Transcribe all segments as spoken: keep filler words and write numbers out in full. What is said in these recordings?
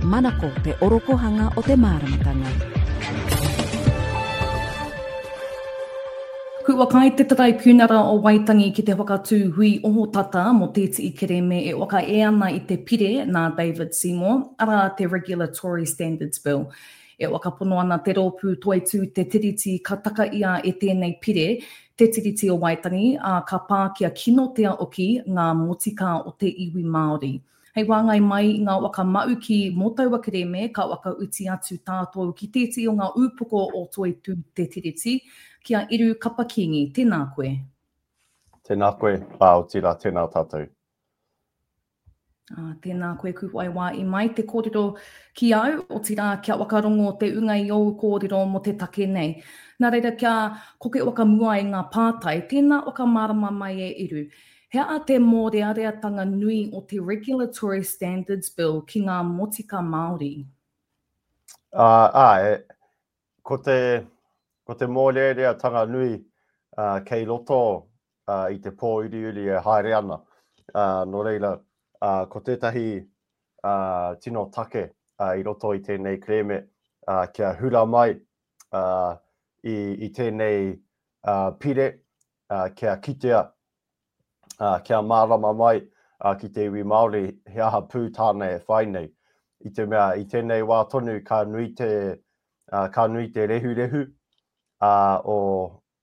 Manako te orokohanga o te māramatanga. Kua kai te Taraipiunara o Waitangi ki te whakatū hui ohotata mō tētihi kerēme e whakae ana i te pire nā David Seymour, arā te Regulatory Standards Bill. E whakapono ana te rōpū Toitū Te Tiriti ka taka ia e tēnei pire, Te Tiriti o Waitangi, ā, ka pākia kinotia hoki ngā motika o te iwi Māori. Hei wāngai mai i ngā waka mauki mō taua kerēme ka whakauti atu tātou ki tētehi o ngā ūpoko o Toitū Te Tiriti, ki a Eru Kapa Kingi. Tēnā koe. Tēnā koe, ā, otirā, tēnā tātou. Ā, tēnā koe Kuwai wā i mai te kōrero ki au, otirā kia whakarongo te unga i ōu kōrero mō te take nei. Nā reira kia koke whakamua i ngā pātai, tēnā whakamārama mai e Eru. He aha te mōreareatanga nui o te Regulatory Standards Bill ki ngā motika Māori? Ā, āe, ko te, ko te mōreareatanga nui uh, kei roto uh, i te pōuriuri e haere ana. Uh, nō reira, uh, ko tētahi uh, tino take uh, i roto i tēnei kerēme uh, kia hura mai uh, i, i tēnei uh, pire, uh, kia kitea, uh, kia mārama mai uh, ki te iwi Māori he aha pū tāna e whai nei. I te mea, i tēnei wā tonu ka nui te, uh, ka nui te rehurehu uh, o,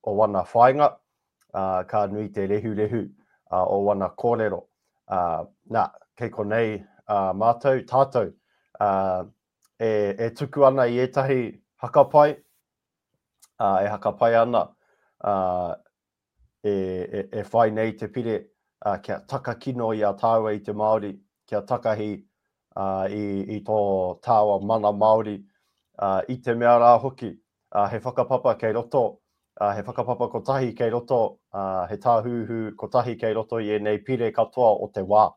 o wana whāinga, uh, ka nui te rehurehu uh, o wana kōrero. Uh, nā, kei konei uh, mātou, tātou, uh, e, e tuku ana i ētahi hakapai, uh, e hakapai ana, uh, e, e, e whai nei te pire uh, kia takakino i a tāua i te Māori, kia takahi uh, i, i tō tāua mana Māori, uh, i te mea rā hoki, uh, he whakapapa kei roto, uh, he whakapapa kotahi kei roto, uh, he tāhuhu kotahi kei roto i ēnei pire katoa o te wā.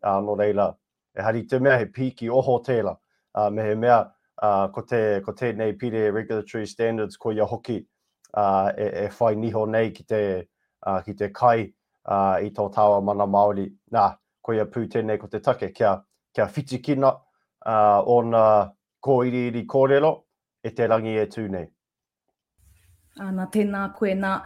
Uh, nō reira, e hari te mea he pīki oho tērā, uh, me he mea uh, ko, te, ko tēnei pire Regulatory Standards ko ia hoki uh, e, e whai niho nei ki te, uh, ki te kai uh, i tō tāua mana Māori. Nā, koia pū tēnei ko te take, kia, kia whitikina uh, ōna kōiriiri kōrero e te rangi e tū nei. Āna, tēnā koe. Nā,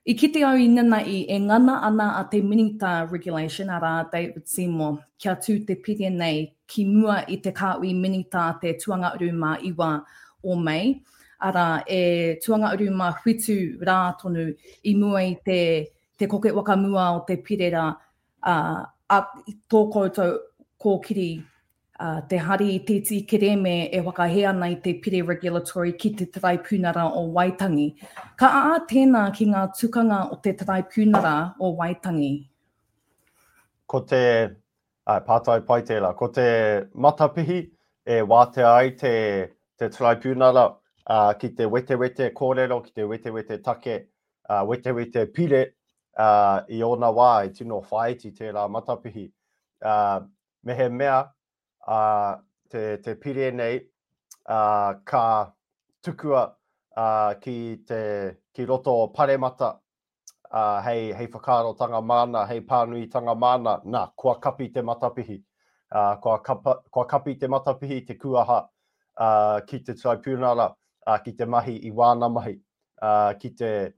i kite au i nana'i e ngana ana a te Minita Regulation, arā David Seymour, kia tū te pire nei ki mua i te kāhui Minita te tuangauru mā iwa o Mei, arā e tuangauru mā whitu rā tonu i mua i te, te koke whakamua o te pire rā, a, a tō koutou kōkiri, uh, te hari i tēti kerēme e whakahē ana i te pire regulatory ki te Taraipiunara o Waitangi. Ka ā tēnā ki ngā tukanga o te Taraipiunara o Waitangi? Ko te, ai, pātai pai tērā, ko te matapihi e wātea ai te, te Taraipiunara uh, ki te wetewete kōrero, ki te wetewete take, uh, wetewete pire uh, i ōna wā e tino whāiti tērā matapihi. Uh, me he mea, uh, te, te pire nei uh, ka tukua uh, ki, te, ki roto o Paremata uh, hei, hei whakaarotanga māna, hei pānuitanga māna, nā, kua kapi te matapihi. Uh, kua, kapa, kua kapi te matapihi te kuaha uh, ki te Tribunala, uh, ki te mahi i wāna mahi, uh, ki, te,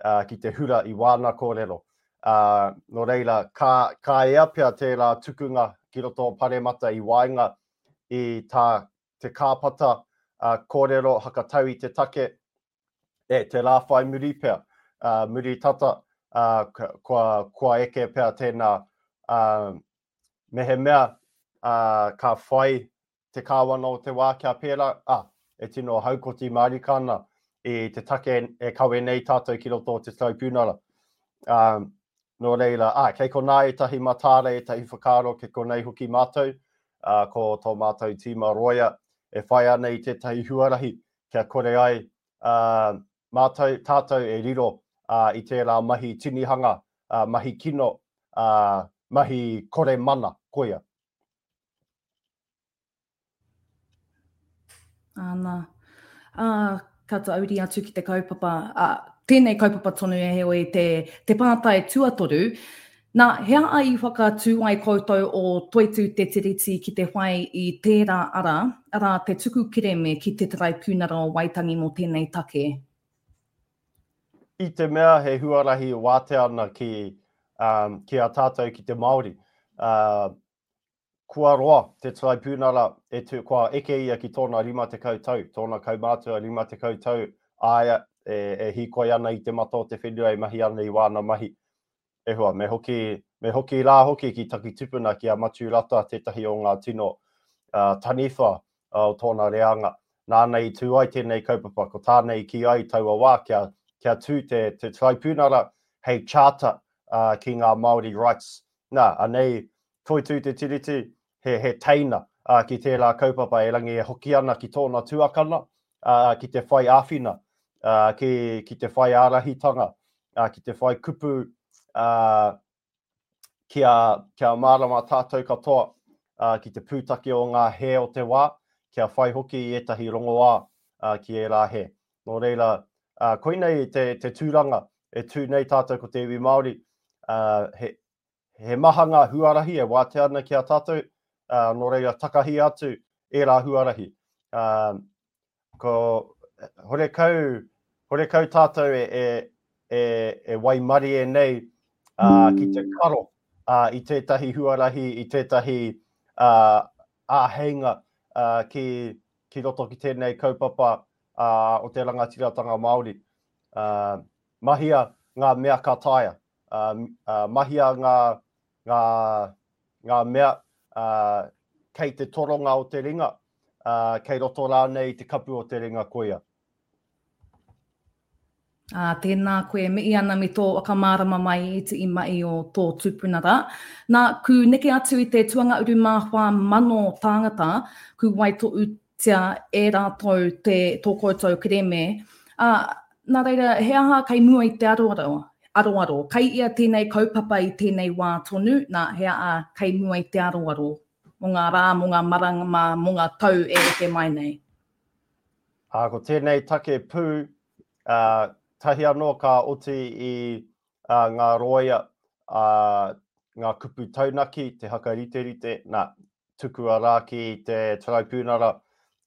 uh, ki te hura i wāna kōrero. Uh, nō reira, ka, ka ea pea tērā tukunga ki roto o Paremata i waenga i tā te kāpata uh, kōrero hakatau i te take, e te rā whai muri pea, uh, muri tata, uh, kua, kua eke pea tēnā. Uh, me he mea uh, ka whai te kāwana o te wā kia pērā, ah, e tino haukoti mārika ana i te take e kawe nei tātou ki roto o te Tribunala. Um, nō reira, ah, kei konā ētahi matāra, ētahi whakaaro, kei konei hoki mātou, uh, ko tō mātou tīma roia e whai ana i tētahi huarahi kia kore ai uh, mātou, tātou e riro uh, i tērā mahi tinihanga, uh, mahi kino, uh, mahi kore mana, koia. Āna. Uh, ka tauri atu ki te kaupapa, uh, tēnei kaupapa tonu e heoi te, te pātai tuatoru, Nā, he aha i whakatū ai koutou o Toitū Te Tiriti ki te whai i tērā ara, arā te tuku kerēme ki te Taraipiunara o Waitangi mō tēnei take? I te mea he huarahi wātea ana ki, um, ki a tātou ki te Māori. Uh, kua roa te Taraipiunara, e tu, kua eke ia ki tōna rima tekau tau, tōna kaumātua rima tekau tau aia e, e hīkoi ana i te mata o te whenua e mahi ana i wāna mahi. E hoa, me hoki, me hoki rā hoki ki taku tupuna ki a Matiu Rata tētahi o ngā tino uh, taniwha uh, o tōna reanga. Nāna i tū ai tēnei kaupapa, ko tāna i kī ai taua wā kia, kia tū te, te Taraipiunara hei charter uh, ki ngā Māori rights. Nā, anei, Toitū Te Tiriti, he, he teina uh, ki tērā kaupapa erangi e hoki ana ki tōna tuakana, uh, ki te whai āwhina, uh, ki, ki te whai ārahitanga, uh, ki te whai kupu, uh, kia, kia mārama tātou katoa uh, ki te pūtake o ngā hē o te wā, kia whai hoki i ētahi rongoā uh, ki ērā hē. Nō reira, uh, koinei te, te tūranga e tū nei tātou ko te iwi Māori, uh, he, he maha ngā huarahi e wātea ana ki a tātou, uh, nō reira takahi atu ērā huarahi. Uh, ko horekau, horekau tātou e, e, e, e waimarie nei uh, ki te karo uh, i tētahi huarahi, i tētahi uh, āheinga uh, ki, ki roto ki tēnei kaupapa uh, o te rangatiratanga Māori. Uh, mahia ngā mea ka taea. Uh, uh, mahia ngā, ngā, ngā mea uh, kei te toronga o te ringa, uh, kei roto rānei te kapu o te ringa koia. Ā, tēnā koe, mihi ana me tō whakamārama mai i te i o tō tupuna rā. Nā, ku neke atu i te tuanga uru mā whā mano tāngata, ku waitohutia e rātou te tō koutou kerēme. Ā, nā reira, he aha kei mua i te aroaro? Aroaro. Kei ia tēnei kaupapa i tēnei wā tonu, nā, he aha kei mua i te aroaro mō ngā rā, mō ngā marama, mō ngā tau e eke mai nei? Ā, ko tēnei take pū, uh, tahi anō ka oti i uh, ngā roia, uh, ngā kupu taunaki, te hakariterite, nā, tukua rā ki te Taraipiunara,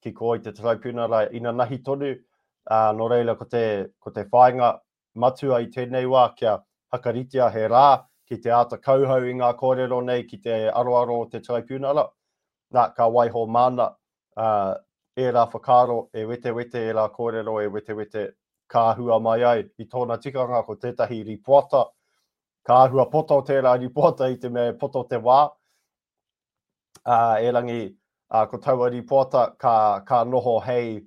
ki koi te Taraipiunara inanahi tonu, uh, nō reira ko te, ko te whāinga matua i tēnei wā kia hakaritea he rā ki te āta kauhau i ngā kōrero nei ki te aroaro o te Taraipiunara. Nā, ka waiho māna uh, ērā whakaaro e wetewete, ērā kōrero e wetewete ka hua mai ai i tōna tikanga ko tētahi ripoata, ka āhua poto tērā ripoata i te mea e poto te wā, uh, erangi uh, ko taua ripoata ka, ka noho hei,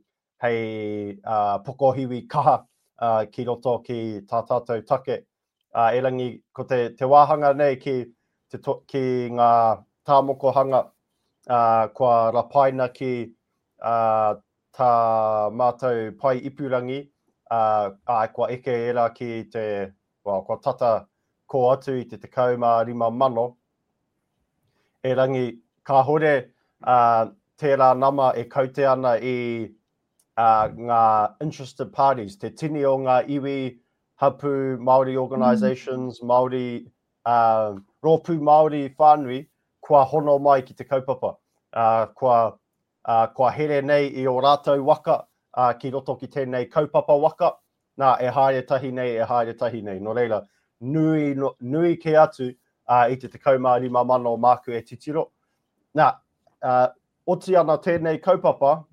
hei uh, pokohiwi kaha uh, ki roto ki tā tātou take. Uh, erangi ko te, te wāhanga nei ki, te to, ki ngā tāmokohanga uh, kua rapaina ki uh, tā mātou pai ipurangi, Uh, ai, kua eke era ki te, well, kua tata ko atu i te tekau mā rima mano. Erangi, kāhore uh, tērā nama e kaute ana i uh, ngā interested parties, te tini o ngā iwi, hapu, Māori organisations, mm. Māori, uh, rōpū Māori whānui, kua hono mai ki te kaupapa. Uh, kua, uh, kua here nei i o rātou waka, Uh, ki roto ki tēnei kaupapa waka, nā, e haere tahi nei, e haere tahi nei. Nō reira, nui, no, nui ke atu uh, i te tekau mā rima mano māku e titiro. Nā, uh, oti ana tēnei kaupapa,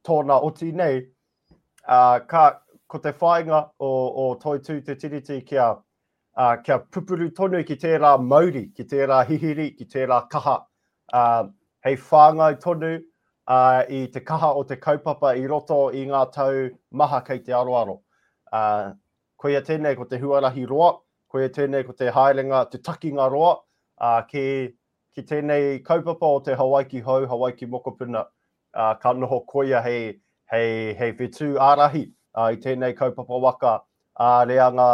tōna oti nei, uh, ka, ko te whāinga o, o Toitū Te Tiriti kia, uh, kia pupuru tonu ki tērā mauri, ki tērā hihiri, ki tērā kaha, uh, hei whāngai tonu, Uh, i te kaha o te kaupapa i roto i ngā tau maha kei te aroaro. Uh, koia tēnei ko te huarahi roa, koia tēnei ko te haerenga, te takinga roa, uh, ki, ki tēnei kaupapa o te Hawaiki Hou, Hawaiki Mokopuna, uh, ka noho koia hei, hei, hei whetū ārahi uh, i tēnei kaupapa waka ā reanga,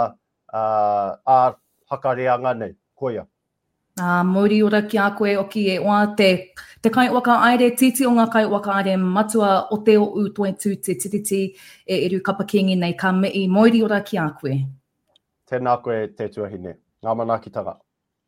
uh, ā hakareanga nei, koia. Ā, mauri ora ki a koe oki e oa te, te kaiwhakahaere, titi o ngā kaiwhakahaere matua o te o Toitū Te Tiriti e Eru Kapa Kingi nei ka mihi, mauri ora ki a koe. Tēnā koe te tuahine, ngā manaakitanga.